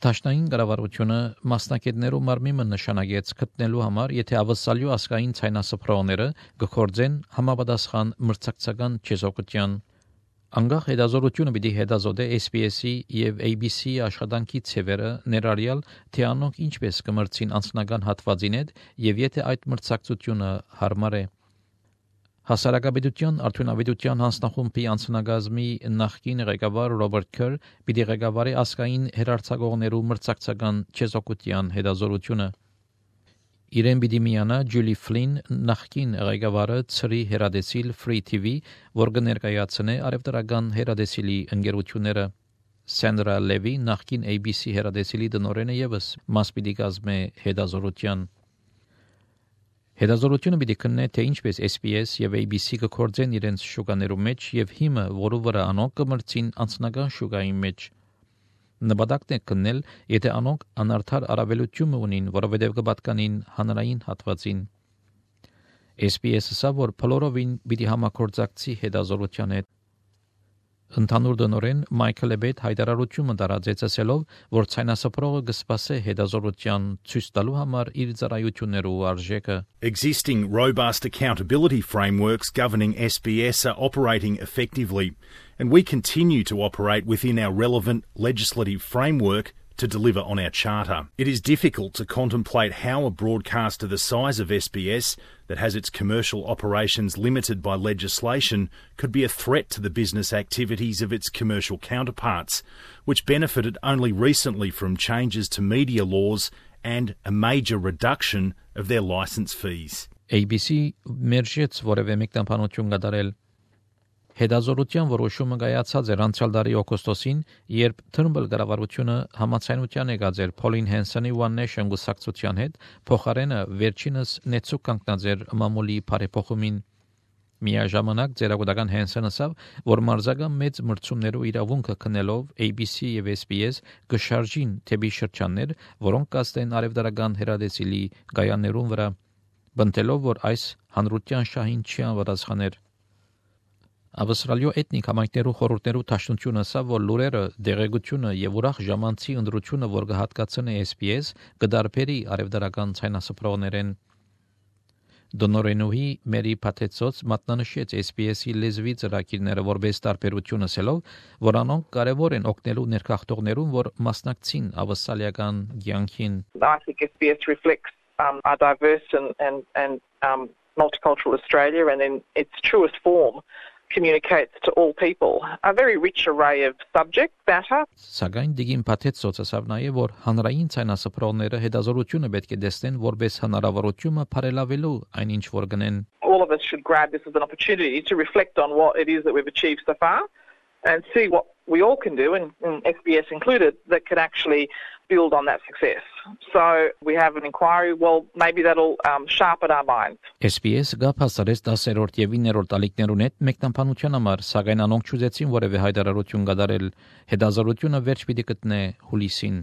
Դաշնային կառավարությունը մասնակիցներու մարմինը նշանակեց գտնելու համար, եթե ավսալյու ասկային ցայնասփռողները կգործեն համապատասխան մրցակցական չեզոքության Անգախ հետազորությունը պիտի հետազոտե SPS-ի եւ ABC-ի աշխատանքի ծևերը ներառյալ թե անոնք ինչպես կմրցին անձնական հատվածին հետ եւ եթե այդ մրցակցությունը հարմար է Հասարակապետության արդյունավետության հանձնախումբի անձնագազմի նախկին ղեկավար Ռոբերտ Քեր պիտի ղեկավարի ասկային հերարցակողներու մրցակցական չեզոքության հետազորությունը Իրեն պիտի միանա Ջուլի Ֆլին նախկին ղեկավարը ծրի հերադեսիլ Free TV, որ կներկայացնե արևտրական հերադեսիլի ընկերությունները Սանդրա Լևի նախկին ABC հերադեսիլի տնօրենը եւս մաս պիտի կազմե հետազորության Հետազորությունը պիտի քննե թե ինչպես SPS եւ ABC կգործեն իրենց շուկաներու մեջ եւ հիմը, որը վրա անոնք կմրցին անձնական շուկայի մեջ Նպատակն է քննել, եթե անոնք անարդար առավելություն ունին, որովհետև կպատկանին հանրային հատվածին։ SPS-ը սա որ փլորովին պիտի համագործակցի հետազորության հետ։ Ընդհանուր դնորեն Մայքլ Էբետ հայտարարությունը տարածեց ասելով, որ ցայնասփռողը կսպասե հետազորության ցույց տալու համար իր ծառայություններու արժեքը։ Existing robust accountability frameworks governing SBS are operating effectively, and we continue to operate within our relevant legislative framework to deliver on our charter. It is difficult to contemplate how a broadcaster the size of SBS that has its commercial operations limited by legislation could be a threat to the business activities of its commercial counterparts, which benefited only recently from changes to media laws and a major reduction of their licence fees. ABC մերժեց որևէ մեկնաբանություն կատարել Հետազորության որոշումը կայացած էր անցյալ տարի օգոստոսին, երբ Թըրմբլ կառավարությունը համաձայնության եկած էր Փոլին Հենսոնի One Nation գուսակցության հետ, փոխարենը վերջինս նեցուկ կանգնած էր մամուլի բարեփոխումին։ Միաժամանակ ձերագուտական Հենսոնը ասավ, որ մարզական մեծ մրցումներու իրավունքը քննելով ABC եւ SBS կշարժին թեպի շրջաններ, որոնք կստեն արևդարական հերադեսիլի գայաներուն վրա, բնտելով, որ այս հանրության շահին չի անվտանգներ։ Ավստրալիո էթնիկ համայնքներու խորհուրդներու դաշնությունը ասա, որ լուրերը, դեղեցությունը եւ ուրախ ժամանցի ընդրությունը, որ կհատկացնի SPS, կդարբերի արևդարական ցայնասփռողներեն։ Դոնորենուհի Մերի Փաթեցոց մատնանշեց SPS-ի լեզվի ծրագիրները որպես տարբերություն ասելով, որ անոնք կարևոր են օգնելու ներքախտողներուն, որ մասնակցին ավստրալիական կյանքին։ I think SBS reflects a diverse and multicultural Australia, and in its truest form communicates to all people a very rich array of subject matter. Սակայն դիգին Փաթեցոց ասավ նաև, որ հանրային ցայնասփռողները հետազորությունը պետք է տեսնեն որպես հնարավորություն բարելավելու այնինչ որ գնեն։ All of us should grab this as an opportunity to reflect on what it is that we've achieved so far and see what we all can do, and SBS included, that can actually build on that success. So we have an inquiry, well, maybe that'll sharpen our minds. SPS գապասարես 10-րդ եւ 9-րդ ալիքներուն հետ մեկնաբանության համար, սակայն անոնք չուզեցին որևէ հայտարարություն կատարել։ Հետազորությունը վերջ պիտի գտնե հուլիսին։